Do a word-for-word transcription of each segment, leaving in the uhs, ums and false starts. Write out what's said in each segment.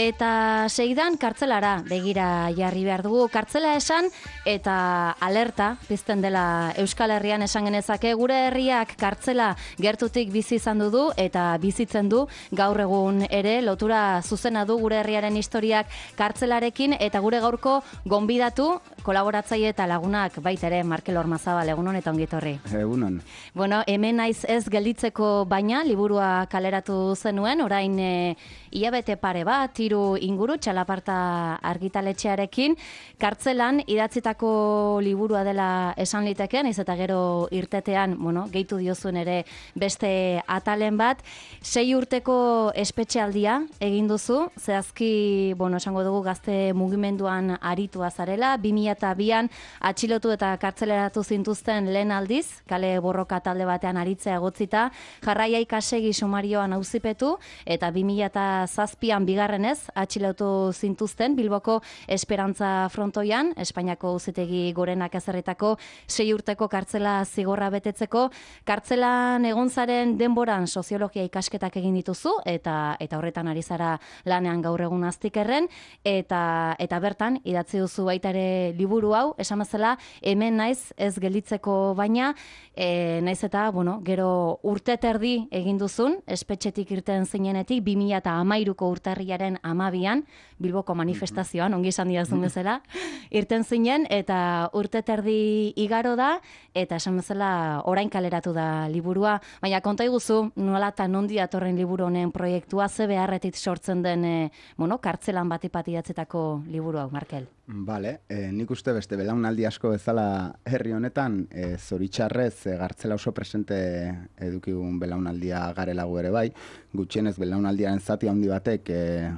Eta seidan kartzelara begira jarri behar dugu. Kartzela esan eta alerta pizten dela Euskal Herrian esan genezake. Gure herriak kartzela gertutik bizi izan du eta bizitzen du gaur egun ere. Lotura zuzena du gure herriaren historiak kartzelarekin eta gure gaurko gonbidatu kolaboratzaile eta lagunak baita ere Markel Ormazabal, egunon eta ongi etorri. Egunon. Bueno, hemen naiz ez gelditzeko baina liburua kaleratu zenuen, orain e, hilabete pare bat, hiru inguru txalaparta argitaletxearekin, kartzelan idatzitako liburua dela esan liteken, iz eta gero irtetean, bueno, gehitu diozuen ere beste atalen bat, sei urteko espetxealdia egin duzu, zehazki, bueno, esango dugu gazte mugimenduan aritua zarela, bi mila bian atxilotu eta kartzeleratu zintuzten lehen aldiz, kale borroka talde batean aritzea egotzita, jarraia ikasegi sumarioan auzipetu, eta bi mila zazpian bigarrenez atxilotu zintuzten Bilboko Esperantza frontoian, Espainiako auzitegi gorenak ezarritako sei urteko kartzela zigorra betetzeko, kartzelan egon zaren denboran soziologia ikasketak egin dituzu, eta eta horretan ari zara lanean gaur egun aztikerren, eta eta bertan idatzi duzu baita ere liburu hau, esan bezala, hemen naiz ez gelditzeko baina, e, naiz eta, bueno, gero urte terdi egin duzun, espetxetik irten zinenetik, bi mila hamairuko urtarriaren hamabian, Bilboko manifestazioan, ongi esan didazun bezala, irten zinen, eta urte terdi igaro da, eta esan bezala, orain kaleratu da liburua, baina konta iguzu, nola eta nondi datorren liburu honen proiektua, ze beharretit sortzen den, e, bueno, kartzelan batipat idatzetako liburu hau, Markel. Bale, eh, nik uste beste belaunaldi asko bezala herri honetan, eh, zoritxarrez eh, gartzela oso presente edukigun belaunaldia garela gu ere bai, gutxienez belaunaldiaren zati handi batek eh,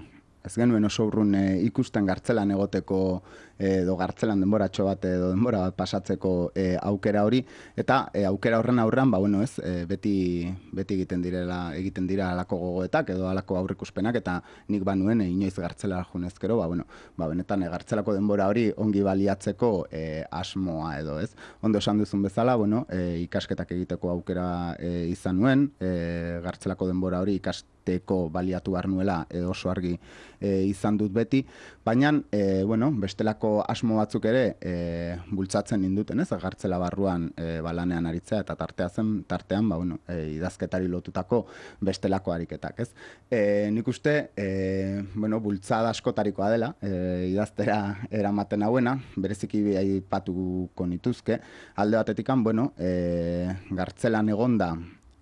ez genuen oso urrun e, ikusten gartzelan egoteko edo gartzelan denboratxo bat edo denbora bat pasatzeko e, aukera hori, eta e, aukera horren aurrean, ba, bueno, ez, e, beti, beti egiten direla, egiten dira alako gogoetak edo alako aurrikuspenak, eta nik banuen e, inoiz gartzela junezkero, ba, bueno, ba, benetan e, gartzelako denbora hori ongi baliatzeko e, asmoa edo, ez. Ondo esan duzun bezala, bueno, e, ikasketak egiteko aukera e, izan nuen, e, gartzelako denbora hori ikasteko baliatu behar nuela e, oso argi e, izan dut beti, baina, e, bueno, bestelako asmo batzuk ere e, bultzatzen ninduten, ez, gartzela barruan e, balanean aritzea, eta tartea zen, tartean, ba, bueno, e, idazketari lotutako bestelako ariketak, ez. E, nik uste, e, bueno, bultzada askotarikoa dela, e, idaztera eramaten hauena, bereziki aipatuko nituzke, alde batetikan, bueno, e, gartzelan egonda,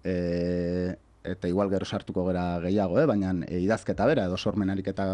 e, eta igual gero sartuko gera gehiago, eh? Baina e, idazketa bera, edo sormen ariketa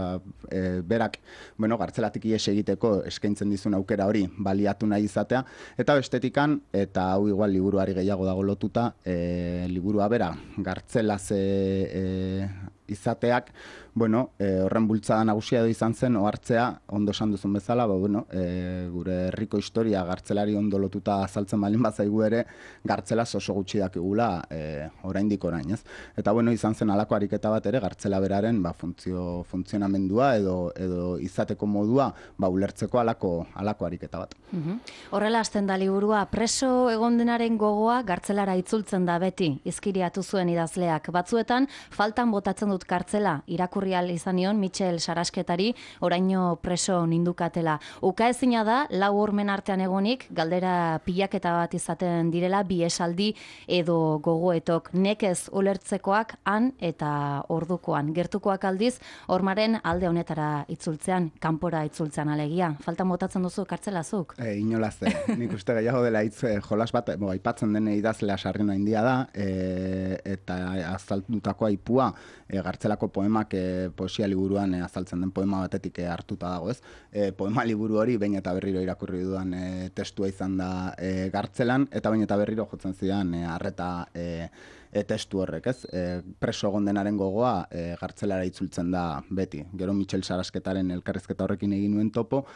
e, berak, bueno, gartzelatik ies egiteko eskaintzen dizun aukera hori baliatu nahi izatea, eta bestetikan, eta hau igual liburuari gehiago dago lotuta, e, liburua bera, gartzelaz e, e, izateak, bueno, e, horren bultzada nagusia edo izan zen, ohartzea, ondo esan duzun bezala, ba, bueno, e, gure herriko historia gartzelari ondo lotuta azaltzen balin bazaigu ere, gartzelaz oso gutxi dakigula e, oraindik orain, ez? Eta, bueno, izan zen alako ariketa bat ere, gartzela beraren, ba, funtzio, funtzionamendua edo, edo izateko modua, ba, ulertzeko alako, alako ariketa bat. Uhum. Horrela hasten da liburua, preso egon denaren gogoa gartzelara itzultzen da beti, izkiriatu zuen idazleak. Batzuetan, faltan botatzen dut kartzela, irakurri ahal izan nion Michel Sarasketari, oraino preso nindukatela. Ukaezina da, lau hormen artean egonik, galdera pilaketa bat izaten direla, bi esaldi edo gogoetok, nekez ulertzekoak han eta ordukoan. Gertukoak aldiz, hormaren alde honetara itzultzean, kanpora itzultzean alegia. Faltan botatzen duzu kartzelazuk? E, inolaz, e, nik uste gehiago dela hitz e, jolas bat, bo, aipatzen den idazlea sarrina india da, e, eta azaltutako aipua, e, gartzelako poemak e, poesia liburuan e, azaltzen den poema batetik e, hartuta dago, ez? E, poema liburu hori behin eta berriro irakurri dudan e, testua izan da e, gartzelan, eta behin eta berriro jotzen zidan e, arreta e, e, testu horrek, ez? E, preso egon denaren gogoa e, gartzelara itzultzen da beti. Gero Michel Sarasketaren elkarrizketa horrekin egin nuen topo,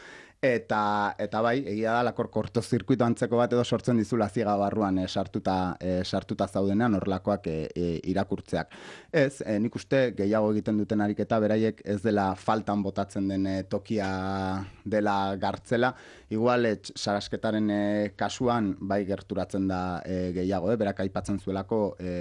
Eta, eta bai, egia da, lakor kortozirkuito antzeko bat edo sortzen dizula ziega barruan e, sartuta, e, sartuta zaudenean horrelakoak e, e, irakurtzeak. Ez, e, nik uste gehiago egiten duten ariketa, beraiek ez dela faltan botatzen den e, tokia dela gartzela, igual e, sarasketaren e, kasuan bai gerturatzen da e, gehiago, e, berak aipatzen zuelako e,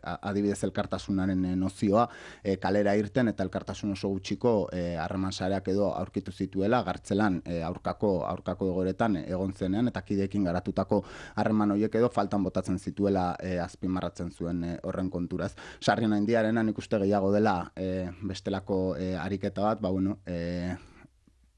adibidez elkartasunaren e, nozioa, e, kalera irten eta elkartasun oso gutxiko harreman e, sareak edo aurkitu zituela gartzelan e, aurkako aurkako egoretan egon zenean eta kideekin garatutako harreman horiek edo faltan botatzen zituela e, azpimarratzen zuen e, horren konturaz. Sarrien Handiarena nik uste gehiago dela e, bestelako e, ariketa bat, ba bueno, e,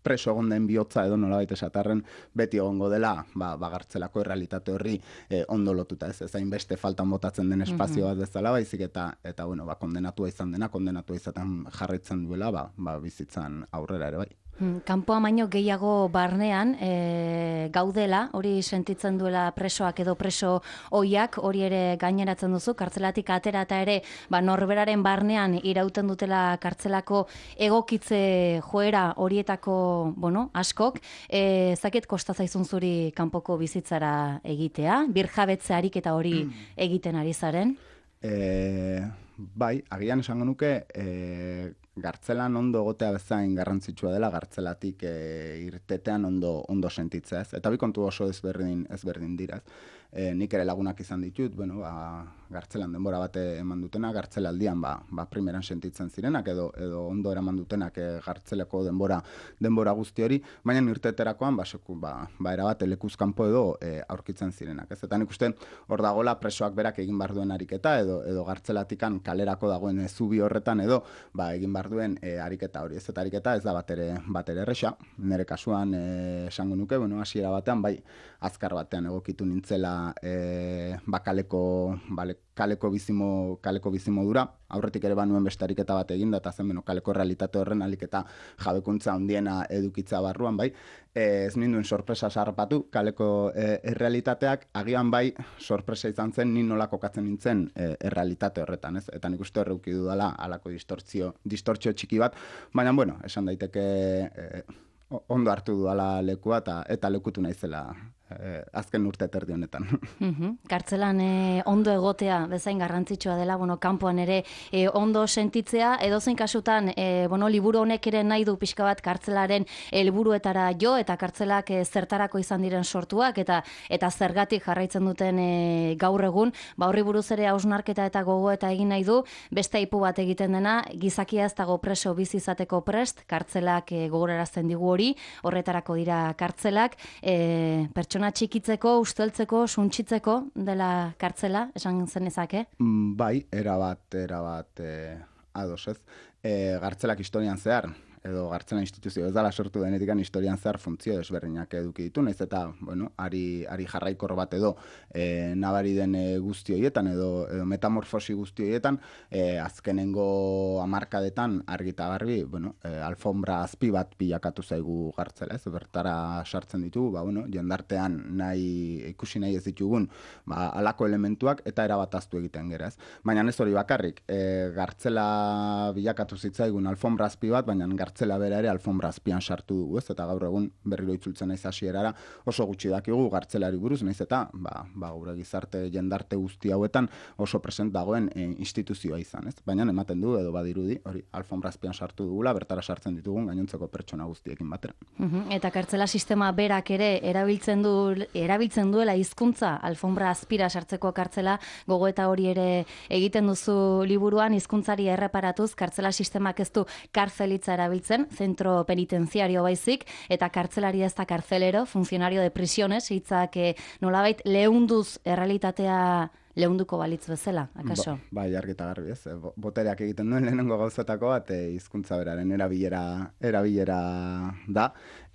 preso egon den bihotza edo nolabait esatarren beti egongo dela, ba, bagartzelako errealitate horri e, ondo lotuta, ez, ez hainbeste faltan botatzen den espazio bat bezala, baizik eta, eta bueno, ba, kondenatua izan dena, kondenatua izaten jarraitzen duela, ba, ba, bizitzan aurrera ere bai. Kanpoa baino gehiago barnean e, gaudela, hori sentitzen duela presoak edo preso oiak, hori ere gaineratzen duzu, kartzelatik atera eta ere ba, norberaren barnean irauten dutela kartzelako egokitze joera horietako bueno, askok, e, zaket kosta zaizun zuri kanpoko bizitzara egitea, birjabetze ariketa hori egiten ari zaren? E, bai, agian esango nuke, e, gartzelan ondo egotea bezain garrantzitsua dela gartzelatik e, irtetean ondo ondo sentitzea, ez? Eta bi kontu oso ezberdin ezberdin dira, ez? E, nik ere lagunak izan ditut, bueno, ba, gartzelan denbora bate eman dutena, gartzelaldian ba, ba primeran sentitzen zirenak edo edo ondo eraman dutenak e, gartzeleko denbora denbora guzti hori, baina irteterakoan ba seku ba, ba erabat lekuz kanpo edo e, aurkitzen zirenak, ez? Eta nik uste hor dagoela presoak berak egin bar duen ariketa edo edo gartzelatikan kalerako dagoen zubi horretan edo ba egin bar duen e, ariketa hori, ez? Eta ariketa ez da batere batere erresa, nire kasuan e, esango nuke, bueno, hasiera batean bai azkar batean egokitu nintzela e, bakaleko bale, kaleko bizimo kaleko bizimodura, aurretik ere banuen beste ariketa bat eginda eta zen beno kaleko realitate horren aliketa jabekuntza handiena edukitza barruan bai, e, ez ninduen sorpresa sarpatu kaleko e, errealitateak, agian bai sorpresa izan zen ni nola kokatzen nintzen e, errealitate horretan, ez? Eta nik uste horreuki dudala halako distortzio distortzio txiki bat, baina bueno, esan daiteke e, ondo hartu dudala lekua eta eta lekutu naizela eh, azken urte terdi honetan. Mm-hmm. Kartzelan eh, ondo egotea bezain garrantzitsua dela, bueno, kanpoan ere eh, ondo sentitzea, edozein kasutan eh, bueno, liburu honek ere nahi du pixka bat kartzelaren helburuetara jo eta kartzelak eh, zertarako izan diren sortuak eta eta zergatik jarraitzen duten eh, gaur egun, ba horri buruz ere hausnarketa eta gogoeta egin nahi du, beste aipu bat egiten dena, gizakia ez dago preso bizi izateko prest, kartzelak eh, gogorarazten digu hori, horretarako dira kartzelak, eh, pertsona txikitzeko, usteltzeko, suntsitzeko dela kartzela, esan zenezake? Bai, erabat, erabat eh, ados ez. Eh, gartzelak historian zehar, edo gartzela instituzio ez dala sortu denetikan historian zehar funtzio desberdinak eduki ditu, naiz eta, bueno, ari, ari jarraikor bat edo e, nabari den e, guzti horietan edo, edo metamorfosi guzti horietan, e, azkenengo hamarkadetan argita garbi, bueno, e, alfombra azpi bat bilakatu zaigu gartzela, ez, bertara sartzen ditugu, ba, bueno, jendartean nahi, ikusi nahi ez ditugun, ba, alako elementuak eta erabataztu egiten gera, ez. Baina ez hori bakarrik, e, gartzela bilakatu zitzaigun alfombra azpi bat, baina gartzela bera ere alfombra azpian sartu dugu, ez? Eta gaur egun berriro itzultzen naiz hasierara oso gutxi dakigu gartzelari buruz, naiz eta ba, ba gure gizarte jendarte guzti hauetan oso present dagoen e, instituzioa izan, ez? Baina ematen du edo badirudi, hori alfombra azpian sartu dugula, bertara sartzen ditugun gainontzeko pertsona guztiekin batera. Uhum, eta kartzela sistema berak ere erabiltzen du erabiltzen duela hizkuntza alfombra azpira sartzeko kartzela, gogoeta hori ere egiten duzu liburuan hizkuntzari erreparatuz, kartzela sistemak ez du kartzelitza erabiltzen zentro penitenziario baizik, eta kartzelari ez da kartzelero, funcionario de prisiones, hitzak eh, nolabait leunduz errealitatea leunduko balitz bezala, akaso? Ba, bai, argita garbi, ez. Botereak egiten duen lehenengo gauzatako bat, e, hizkuntza beraren erabilera, erabilera da,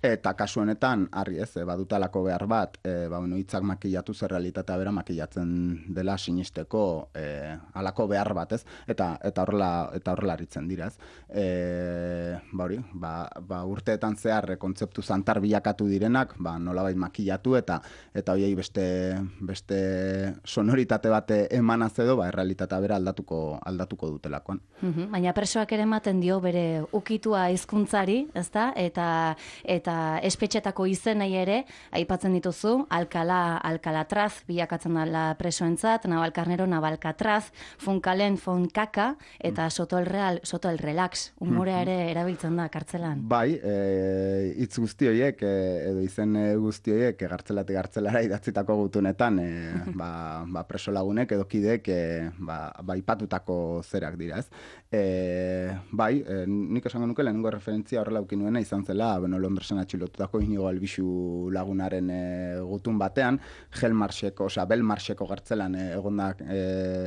eta kasu honetan, argi ez, e, badutalako behar bat, e, ba, bueno, hitzak makillatu zer realitatea bera makillatzen dela sinisteko e, alako behar bat, ez? Eta eta horrela eta horrela aritzen dira, ez? E, ba hori, ba, ba urteetan zehar e, kontzeptu zantar bilakatu direnak, ba nolabait makillatu eta eta hoiei beste beste sonoritate bat emanaz edo, ba errealitatea bera aldatuko aldatuko dutelakoan. Mhm, baina presoak ere ematen dio bere ukitua hizkuntzari, ezta? Eta eta espetxetako izenei ere aipatzen dituzu, Alcalá, Alcalatraz bilakatzen dela presoentzat, Navalcarnero, Navalcatraz, Funkalen, Fonkaka eta Soto el Real, Soto el Relax. Humorea ere erabiltzen da kartzelan. Bai, e, hitz guzti horiek e, edo izen guzti horiek e, gartzelatik gartzelara idatzitako gutunetan e, ba, ba preso lagunek edo kidek e, ba, ba ipatutako zerak dira, ez? E, bai, e, nik esango nuke lehenengo referentzia horrela uki nuena izan zela, bueno, Londresen atxilotutako Inigo Albixu lagunaren e, gutun batean, Gelmarseko, osea, Belmarseko gartzelan e, egondak e,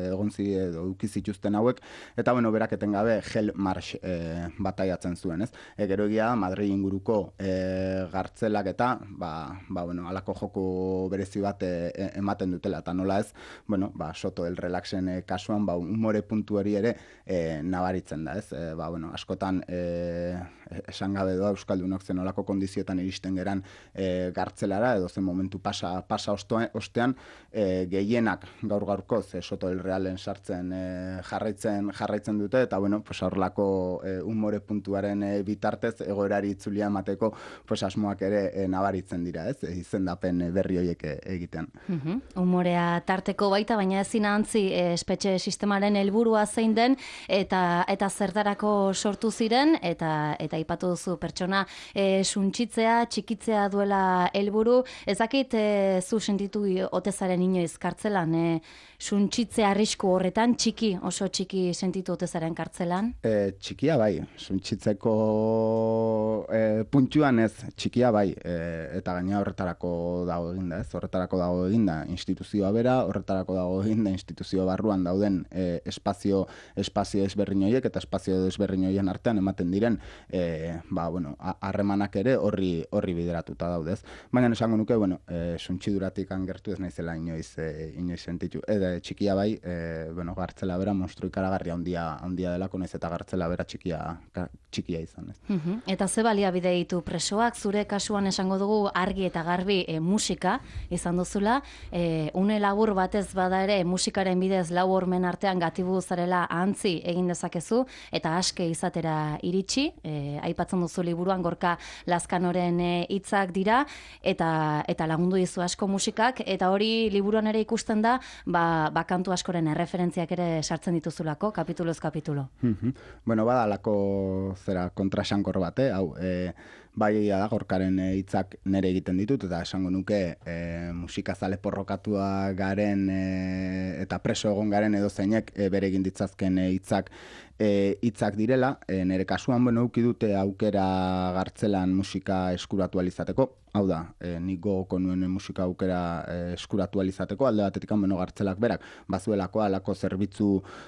egontzi edo uki zituzten hauek, eta bueno, berak etengabe Gelmars e, bataiatzen zuen, ez? E, gero egia Madrid inguruko e, gartzelak eta, ba, ba, bueno, alako joko berezi bat e, ematen dutela, eta nola ez, bueno, ba, Soto el Relaxen e, kasuan, ba, umore puntu hori ere e, nabaritzen da, ez? E, ba, bueno, askotan e, esan gabe doa Euskaldunok zen olako kondizioetan iristen geran e, gartzelara, edo zen momentu pasa, pasa ostean, e, gehienak gaur gaurkoz e, Soto el Realen sartzen e, jarraitzen jarraitzen dute, eta bueno, pues horrelako e, umore puntuaren e, bitartez egoerari itzulia emateko pues asmoak ere e, nabaritzen dira, ez? E, izendapen berri horiek e, egiten. Mhm. Umorea tarteko baita, baina ezin ahantzi e, espetxe sistemaren helburua zein den eta eta zertarako sortu ziren eta eta aipatu duzu pertsona e, suntsitzea, txikitzea duela helburu. Ez dakit e, zu sentitu otezaren inoiz kartzelan, e, suntsitzea arrisku horretan txiki, oso txiki sentitu otezaren kartzelan? E, txikia bai, suntsitzeko e, puntuan ez, txikia bai, e, eta gaina horretarako dago eginda, ez? Horretarako dago eginda instituzioa bera, horretarako dago eginda instituzio barruan dauden e, espazio espazio ezberdin horiek eta espazio ezberdin horien artean ematen diren e, ba, bueno, harremanak ere horri horri bideratuta daudez. Baina esango nuke, bueno, e, suntsiduratik angertu ez naizela inoiz e, inoiz sentitu. Eta txikia bai, e, bueno, gartzela bera monstru ikaragarria handia handia delako naiz eta gartzela bera txikia txikia izan, ez. Mhm. Eta ze baliabide ditu presoak, zure kasuan esango dugu argi eta garbi e, musika izan duzula, e, une labur batez bada ere musikaren bidez lau hormen artean gatibu zarela ahantzi egin dezakezu eta aske izatera iritsi, e, aipatzen duzu liburuan Gorka Lazkanoren hitzak dira eta eta lagundu dizu asko musikak, eta hori liburuan ere ikusten da, ba, ba kantu askoren erreferentziak ere sartzen dituzulako kapituloz kapitulo. Mm-hmm. Bueno, badalako zera kontrasankor bate, hau, e, bai egia da Gorkaren hitzak nere egiten ditut, eta esango nuke e, musikazale porrokatua garen e, eta preso egon garen edo zeinek e, bere egin ditzazken hitzak hitzak e, direla. E, nere kasuan, bueno, uki dute aukera gartzelan musika eskuratu alizateko. Hau da, e, nik gogoko nuen musika aukera e, eskuratu alizateko, alde batetik bueno, gartzelak berak, bazuelako alako zerbitzu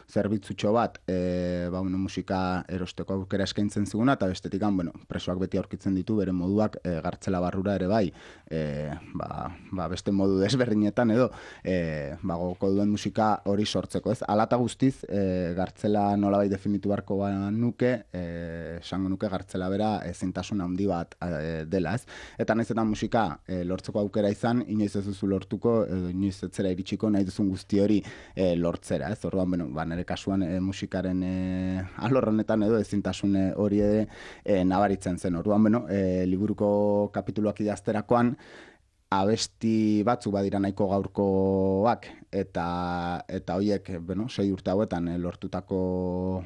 zerbitzutxo bat, e, ba, bueno, musika erosteko aukera eskaintzen ziguna, eta bestetik bueno, presoak beti aurkitzen ditu bere moduak e, gartzela barrura ere bai, e, ba, ba, beste modu desberdinetan edo, e, ba, gogoko duen musika hori sortzeko, ez? Alata guztiz, e, gartzela nolabait definitu barko ba nuke, e, esango nuke gartzela bera ezintasun handi bat e, dela, ez? Eta naiz eta musika e, lortzeko aukera izan, inoiz ez duzu lortuko, edo inoiz ez zera iritsiko nahi duzun guzti hori e, lortzera, ez? Orduan, bueno, ba, nire kasuan e, musikaren e, alorrenetan edo ezintasun hori ere e, nabaritzen zen. Orduan, bueno, e, liburuko kapituluak idazterakoan, abesti batzuk badira nahiko gaurkoak, eta eta hoiek, bueno, sei urte hauetan e, lortutako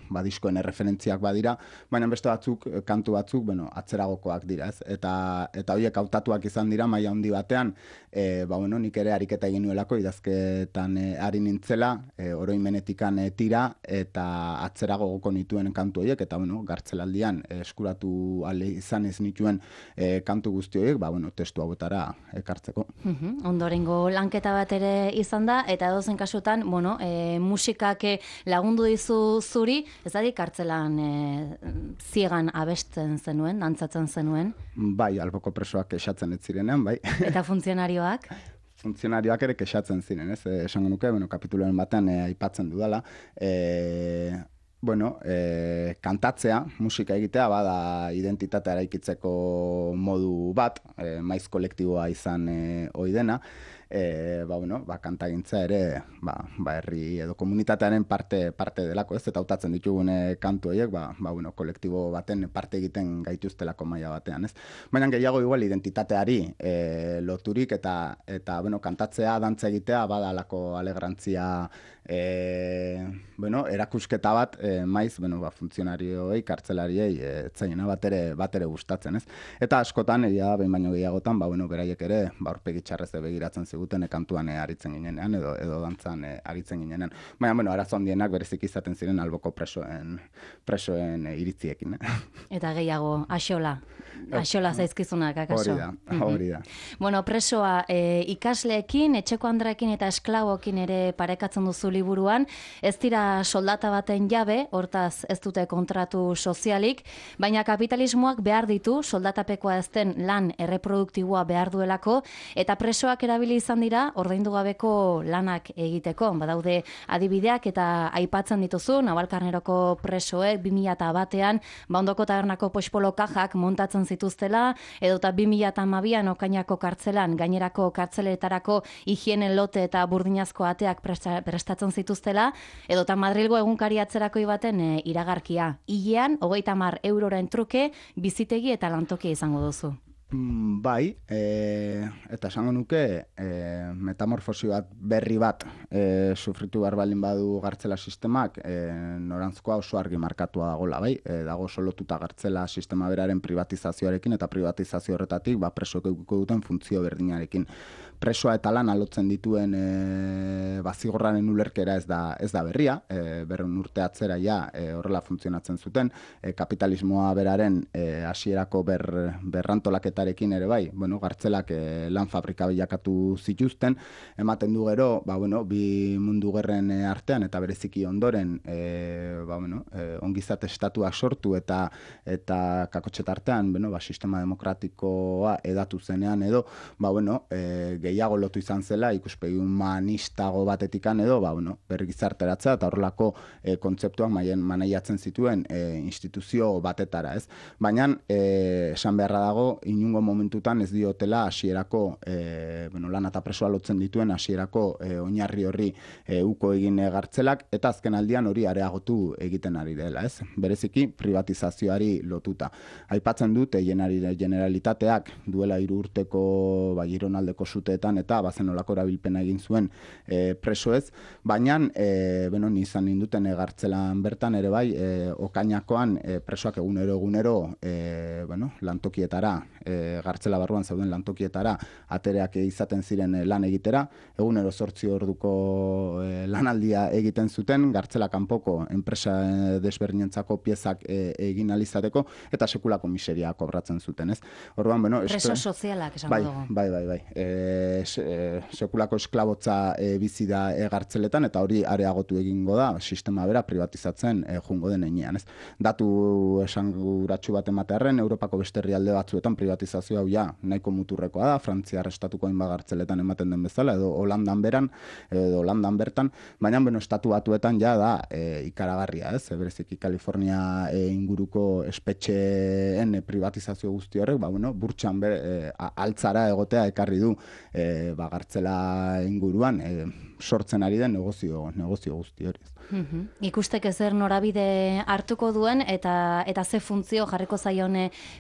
badiskoen erreferentziak badira, baina beste batzuk, kantu batzuk, bueno, atzeragokoak dira, ez? Eta eta hoiek hautatuak izan dira maila handi batean, e, ba, bueno, nik ere ariketa egin nuelako idazketan e, ari nintzela, e, oroimenetikan e, tira, eta atzerago goko nituen kantu horiek, eta, bueno, gartzelaldian e, eskuratu ale izan ez nituen e, kantu guzti horiek, ba, bueno, testu hauetara ekartzeko. Mhm. Ondorengo lanketa bat ere izan da, eta edozen kasutan, bueno, e, musikak lagundu dizu zuri, ez da kartzelan e, ziegan abesten zenuen, dantzatzen zenuen? Bai, alboko presoak kexatzen ez zirenean, bai. Eta funtzionarioak? Funtzionarioak ere kexatzen ziren, ez? E, esango nuke, bueno, kapituloen batean e, aipatzen dudala. E, bueno, e, kantatzea, musika egitea, bada identitatea eraikitzeko modu bat, e, maiz kolektiboa izan e, ohi dena, e, ba, bueno, ba, kantagintza ere ba, ba, herri edo komunitatearen parte parte delako, ez, eta hautatzen ditugun kantu horiek, ba, ba, bueno, kolektibo baten parte egiten gaituztelako maila batean, ez. Baina gehiago igual identitateari e, loturik eta eta bueno, kantatzea, dantza egitea badalako alegrantzia E, bueno, erakusketa bat e, maiz, bueno, ba, funtzionarioei, kartzelariei e, etzainena bat ere, bat ere gustatzen, ez? Eta askotan, egia behin baino gehiagotan, ba, bueno, beraiek ere, ba, aurpegi txarrez begiratzen ziguten, e, kantuan e, aritzen ginenean, edo, edo dantzan e, aritzen ginenean. Baina, bueno, arazo handienak berezik izaten ziren alboko presoen, presoen e, iritziekin. Eh? Eta gehiago, axola. Axola zaizkizunak, akaso. Hori da, hori da. Bueno, presoa e, ikasleekin, etxeko andreekin eta esklabokin ere parekatzen duzu liburuan, ez dira soldata baten jabe, hortaz ez dute kontratu sozialik, baina kapitalismoak behar ditu, soldatapekoa ez den lan erreproduktiboa behar duelako, eta presoak erabili izan dira, ordaindu gabeko lanak egiteko. Badaude adibideak eta aipatzen dituzu, Navalkarneroko presoek bi mila batean, Baondoko tabernako pospolo kajak montatzen zituztela, edota bi mila hamabian Okainako kartzelan, gainerako kartzeletarako higienen lote eta burdinazko ateak prestatzen zituztela, edota Madrilgo egunkari atzerakoi baten e, iragarkia. Hilean, hogeita hamar euroren truke, bizitegi eta lantokia izango duzu. Mm, bai, e, eta esango nuke e, metamorfosi bat berri bat e, sufritu behar balin badu gartzela sistemak, e, norantzkoa oso argi markatua dagoela, bai, e, dago solotuta gartzela sistema beraren privatizazioarekin eta privatizazio horretatik ba, presoek edukiko duten funtzio berdinarekin. Presoa eta lan alotzen dituen e, bazigorraren ulerkera ez da, ez da berria, e, berreun urte atzera ja e, horrela funtzionatzen zuten, e, kapitalismoa beraren e, hasierako ber, berrantolaketarekin ere bai, bueno, gartzelak e, lan fabrika bilakatu zituzten, ematen du gero, ba, bueno, bi mundu gerren artean eta bereziki ondoren e, ba, bueno, e, ongizate estatuak sortu eta eta kakotxetartean, bueno, ba, sistema demokratikoa edatu zenean edo, ba, bueno, e, gehiago lotu izan zela, ikuspegi humanistago batetikan edo, ba, bueno, berri gizarteratzea eta horrelako e, kontzeptuak maien manaiatzen zituen e, instituzio batetara, ez? Baina, e, esan beharra dago, inungo momentutan ez diotela hasierako e, bueno, lan eta presoa lotzen dituen hasierako e, oinarri horri e, uko egin gartzelak, eta azken aldian hori areagotu egiten ari dela, ez? Bereziki privatizazioari lotuta. Aipatzen dut, e, generalitateak duela hiru urteko ba, Gironaldeko zute eta bazen olako erabilpena egin zuen e, presoez, baina e, beno, nizan ninduten e, gartzelan bertan ere bai, e, Okainakoan e, presoak egunero egunero e, bueno, lantokietara, e, gartzela barruan zeuden lantokietara atereak izaten ziren e, lan egitera, egunero zortzi orduko e, lanaldia egiten zuten, gartzela kanpoko enpresa e, desberdinentzako piezak e, egin alizateko, eta sekulako miseria kobratzen zuten, ez? Orduan, bueno, preso sozialak esango bai, dugu. Bai, bai, bai, bai. E, sekulako esklabotza e, bizi da e, gartzeletan eta hori areagotu egingo da sistema bera privatizatzen e, jungo den heinean, ez? Datu esanguratsu bat ematearren, Europako beste herrialde batzuetan privatizazio hau ja nahiko muturrekoa da, Frantziar estatuko hainbat gartzeletan ematen den bezala, edo Holandan beran, edo Holandan bertan, baina beno, estatu batuetan ja da e, ikaragarria, ez? E, bereziki Kalifornia e, inguruko espetxeen e, privatizazio guzti horrek, ba, bueno, burtsan be, e, altzara egotea ekarri du E, ba, gartzela inguruan e, sortzen ari den negozio, negozio guzti hori. Mm-hmm. Ikusteke zer norabide hartuko duen eta eta ze funtzio jarriko zaion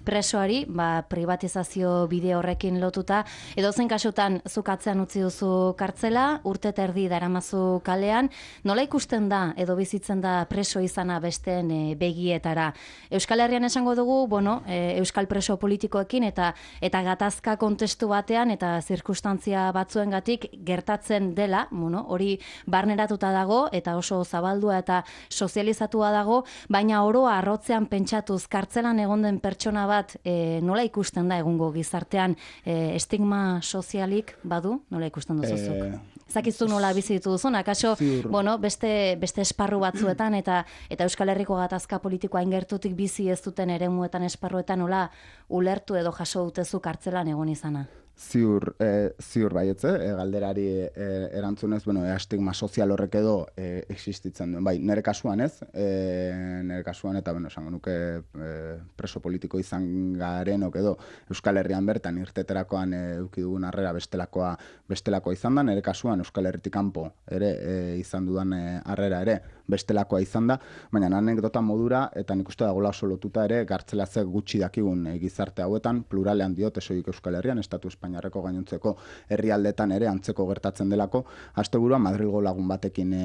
presoari, ba, privatizazio bide horrekin lotuta, edo zen kasutan zukatzean utzi duzu kartzela, urte terdi daramazu kalean, nola ikusten da edo bizitzen da preso izana besteen e, begietara? Euskal Herrian esango dugu, bueno, e, euskal preso politikoekin eta eta gatazka kontestu batean eta zirkustantzia batzuengatik gertatzen dela, bueno, hori barneratuta dago eta oso zabaldua eta sozializatua dago, baina oroa arrotzean pentsatuz kartzelan egon den pertsona bat e, nola ikusten da egungo gizartean e, estigma sozialik badu? Nola ikusten duzuzuk? E... Zakizu nola bizi dituzun, akaso, bueno, beste, beste esparru batzuetan eta eta Euskal Herriko gatazka politikoa ingertutik bizi ez duten eremuetan esparruetan nola ulertu edo jaso dutezu kartzelan egon izana? Ziur, e, ziur baietze, e, galderari e, erantzunez, bueno, e, estigma sozial horrek edo e, existitzen duen. Bai, nire kasuan ez, e, nire kasuan eta, bueno, esango nuke e, preso politiko izan garenok edo Euskal Herrian bertan irteterakoan e, eduki dugun harrera bestelakoa bestelakoa izan da, nire kasuan Euskal Herritik kanpo ere e, izan dudan e, harrera ere bestelakoa izan da, baina anekdota modura eta nik uste dagoela oso lotuta ere gartzela ze gutxi dakigun e, gizarte hauetan, pluralean diot esoik Euskal Herrian, estatu Espainiarreko gainontzeko herrialdetan ere antzeko gertatzen delako, asteburuan Madrilgo lagun batekin e,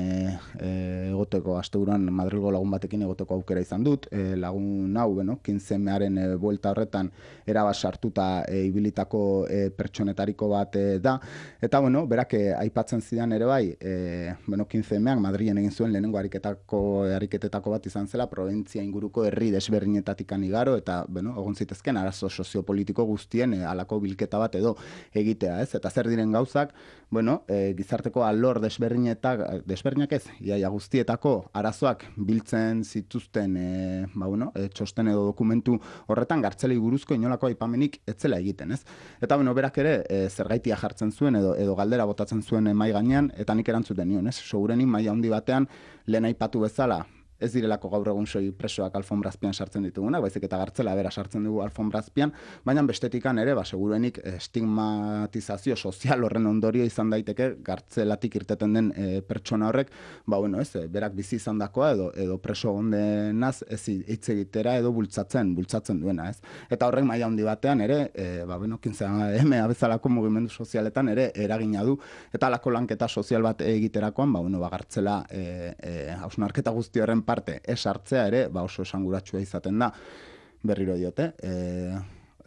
e, egoteko, asteburuan Madrilgo lagun batekin egoteko aukera izan dut, e, lagun hau, beno, quincemearen e, buelta horretan erabas sartuta e, ibilitako e, pertsonetariko bat e, da, eta bueno, berak e, aipatzen zidan ere bai, e, bueno, quincemeak Madrilen egin zuen lehenengo ariketako, ariketetako bat izan zela, provintzia inguruko herri desberdinetatik igaro, eta, bueno, egon zitezken arazo soziopolitiko guztien e, alako bilketa bat edo egitea, ez? Eta zer diren gauzak, bueno, e, gizarteko alor desberdinetak, desberdinak ez, iaia guztietako arazoak biltzen zituzten, e, ba, bueno, e, txosten edo dokumentu horretan gartzelei buruzko inolako aipamenik etzela egiten, ez? Eta, bueno, berak ere, e, zergaitia jartzen zuen edo, edo galdera botatzen zuen mai gainean, eta nik erantzuten nion, ez? Segurenik maila handi batean, lehen aipatu bezala, ez direlako gaur egun soi presoak alfonbrazpian sartzen ditugunak, baizik eta gartzela bera sartzen dugu alfonbrazpian, baina bestetikan ere, ba, segurenik estigmatizazio sozial horren ondorio izan daiteke gartzelatik irteten den e, pertsona horrek, ba, bueno, ez, berak bizi izan dakoa edo, edo preso ondenaz ez hitz egitera edo bultzatzen, bultzatzen duena, ez. Eta horrek maila handi batean ere, e, ba, bueno, quince eme bezalako mugimendu sozialetan ere eragina du, eta alako lanketa sozial bat egiterakoan, ba, bueno, ba, gartzela e, e, hausnarketa guzti horren parte ez hartzea ere, ba oso esanguratsua izaten da, berriro diote, e,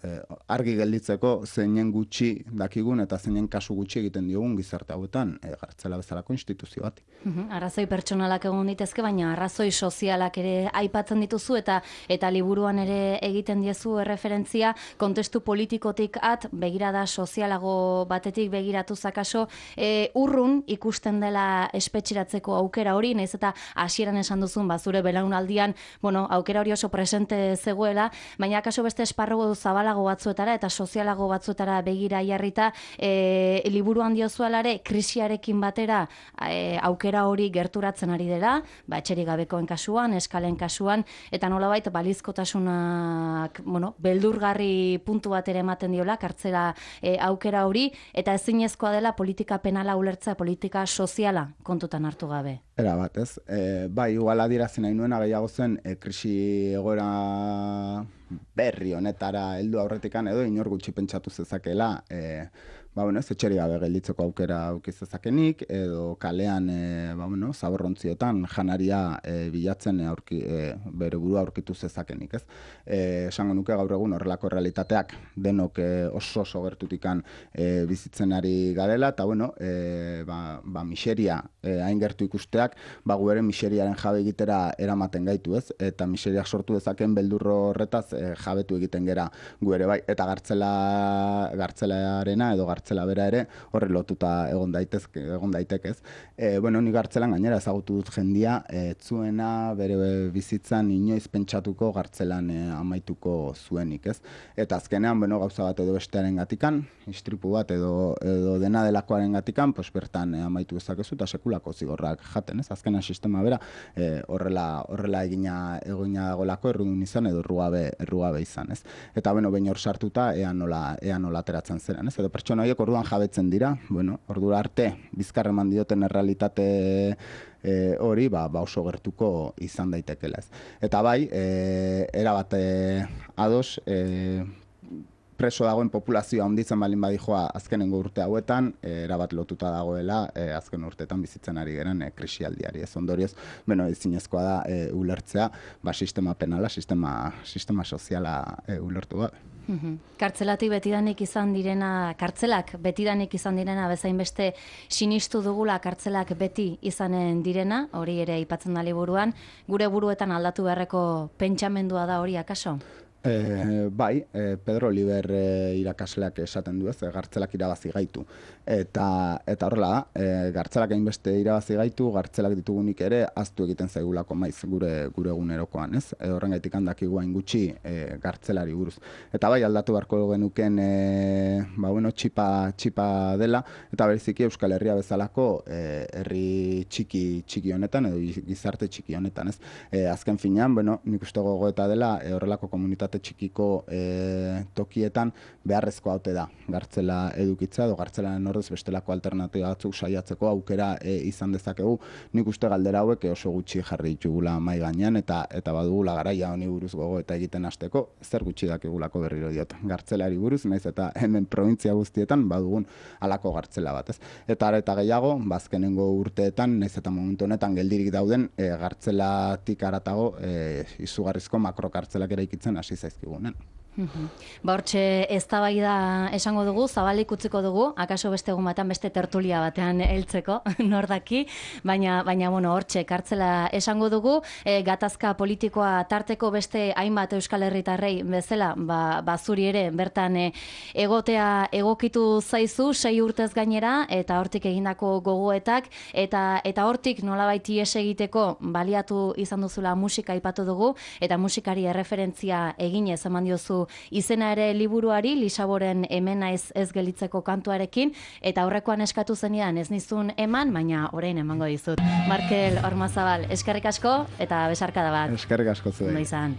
e, argi gelditzeko zeinen gutxi dakigun eta zeinen kasu gutxi egiten diogun gizarte hauetan, e, gartzela bezalako instituzio bat. Uhum, arrazoi pertsonalak egon ditezke, baina arrazoi sozialak ere aipatzen dituzu eta eta liburuan ere egiten diezu erreferentzia kontestu politikotik at, begirada sozialago batetik begiratu zakaso, e, urrun ikusten dela espetxeratzeko aukera hori, nahiz eta hasieran esan duzun, ba, zure belaunaldian, bueno, aukera hori oso presente zegoela, baina akaso beste esparru zabalago batzuetara eta sozialago batzuetara begira jarrita, e, liburuan diozualare krisiarekin batera e, aukera hori gerturatzen ari dela, ba, etxerik gabekoen kasuan, eskalen kasuan, eta nolabait balizkotasunak, bueno, beldurgarri puntu bat ere ematen diola, kartzela e, aukera hori, eta ezinezkoa dela politika penala ulertzea, politika soziala kontutan hartu gabe. Era bat, ez? E, bai, igual adierazi nahi nuena gehiago zen, e, krisi egoera berri honetara heldu aurretikan edo inor gutxi pentsatu zezakela, e, ba, bueno, ez etxeri gabe gelditzeko aukera auki zezakenik, edo kalean, e, ba, bueno, zaborrontziotan janaria e, bilatzen e, aurki, e, bere burua aurkitu zezakenik, ez? E, esango nuke gaur egun horrelako realitateak denok e, oso oso gertutikan e, bizitzen ari garela, eta, bueno, e, ba, ba, miseria e, hain gertu ikusteak, ba, gu ere miseriaren jabe egitera eramaten gaitu, ez? Eta miseriak sortu dezaken beldurro horretaz e, jabetu egiten gera gu ere, bai, eta gartzela, gartzelaarena edo gartzela gartzela bera ere horre lotuta egon daitezke, egon daitekez. E, bueno, ni gartzelan gainera ezagutu dut jendia, ez zuena bere bizitzan inoiz pentsatuko gartzelan e, amaituko zuenik, ez? Eta azkenean, bueno, gauza bat edo bestearen gatikan, istripu bat edo, edo dena delakoaren gatikan, pues bertan e, amaitu ezakezu eta sekulako zigorrak jaten, ez? Azkenean sistema bera e, horrela, horrela egina egina dagolako errudun izan edo errugabe, errugabe izan, ez? Eta, bueno, behin hor sartuta ea nola, ea nola ateratzen zeren, ez? Edo pertsona horiek orduan jabetzen dira, bueno, ordura arte bizkarreman dioten errealitate e, hori, ba, ba oso gertuko izan daitekela, ez. Eta bai, e, erabat e, ados, e, preso dagoen populazioa handitzen balin badijoa azkenengo urte hauetan, e, erabat lotuta dagoela e, azken urteetan bizitzen ari geren e, krisialdiari. Ez ondorioz, bueno, ezinezkoa da e, ulertzea, ba, sistema penala, sistema, sistema soziala e, ulertu gabe. Kartzelatik betidanik izan direna, kartzelak betidanik izan direna, bezain beste sinistu dugula kartzelak beti izanen direna, hori ere aipatzen da liburuan, gure buruetan aldatu beharreko pentsamendua da hori akaso? E, bai, e, Pedro Oliver e, irakasleak esaten du ez, e, gartzelak irabazi gaitu. Eta, eta horrela da, e, gartzelak hainbeste irabazi gaitu, gartzelak ditugunik ere, aztu egiten zaigulako maiz gure gure egunerokoan, ez? E, horrengatik handakigu hain gutxi e, gartzelari buruz. Eta bai, aldatu beharko genuken, e, ba, bueno, txipa, txipa dela, eta bereziki Euskal Herria bezalako e, herri txiki, txiki honetan, edo gizarte txiki honetan, ez? E, azken finean, bueno, nik uste gogoeta dela, e, horrelako komunitate txikiko e, tokietan beharrezko haute da gartzela edukitza edo gartzelaren ordez bestelako alternatiba batzuk saiatzeko aukera e, izan dezakegu. Nik uste galdera hauek oso gutxi jarri ditugula mai gainean eta eta badugula garaia honi buruz gogo eta egiten hasteko zer gutxi dakigulako berriro diot gartzelari buruz, naiz eta hemen probintzia guztietan badugun halako gartzela bat, ez? Eta are eta gehiago, bazkenengo urteetan, naiz eta momentu honetan geldirik dauden e, gartzelatik haratago e, izugarrizko makrokartzelak eraikitzen hasi zaizkigunen. Ba hortxe eztabaida esango dugu, zabalik utziko dugu, akaso beste egun batean beste tertulia batean heltzeko, nor daki, baina baina bueno, hortxe kartzela esango dugu, e, gatazka politikoa tarteko beste hainbat Euskal Herritarrei bezala, ba, ba zuri ere bertan e, egotea egokitu zaizu sei urtez gainera eta hortik egindako gogoetak eta eta hortik nolabait ihes egiteko baliatu izan duzula musika aipatu dugu eta musikari erreferentzia eginez eman diozu izena ere liburuari, Lisaboren hemen naiz ez gelitzeko kantuarekin, eta aurrekoan eskatu zenidan ez nizun eman, baina orain emango dizut. Markel Ormazabal, eskerrik asko eta besarkada bat. Eskerrik asko zuei. Ondo izan.